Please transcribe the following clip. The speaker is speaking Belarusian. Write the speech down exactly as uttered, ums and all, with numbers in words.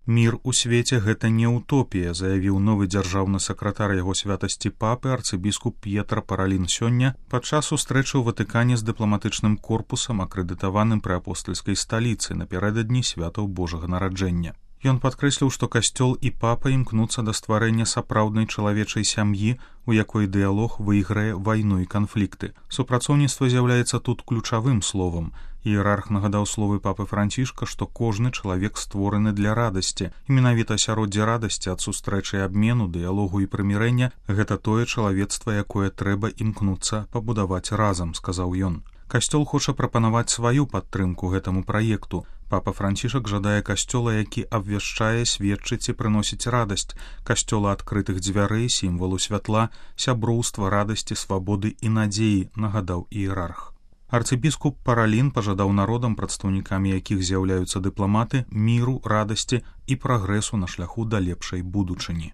Мір у свеце — гэта не утопія, заявіў новы дзяржаўны сакратар яго святасці папы арцыбіскуп П'етра Паралін сёння падчас сустрэчы ў Ватыкане з дыпламатычным корпусам, акрэдытаваным пры апостальскай сталіцы напярэдадні святаў Божага нараджэння. Ён падкрэсліў, што касцёл і папа імкнуцца да стварэння сапраўднай чалавечай сям'і, у якой дыялог выйграе вайну і канфлікты. Супрацоўніцтва з'яўляецца тут ключавым словам. Іерарх нагадаў словы папы Францішка, што кожны чалавек створаны для радасці. І менавіта асяроддзе радасці ад сустрэчы і абмену, дыялогу і прымірэння — гэта тое чалавецтва, якое трэба імкнуцца пабудаваць разам, сказаў ён. Касцёл хоча прапанаваць сваю падтрымку гэтаму праекту. Папа Францішак жадае касцёла, які абвяшчае, сведчыць і прыносіць радасць, касцёла адкрытых дзвярэй, сімвалу святла, сяброўства, радасці, свабоды і надзеі, нагадаў іерарх. Арцыбіскуп Паралін пажадаў народам, прадстаўнікамі якіх з'яўляюцца дыпламаты, міру, радасці і прагрэсу на шляху да лепшай будучыні.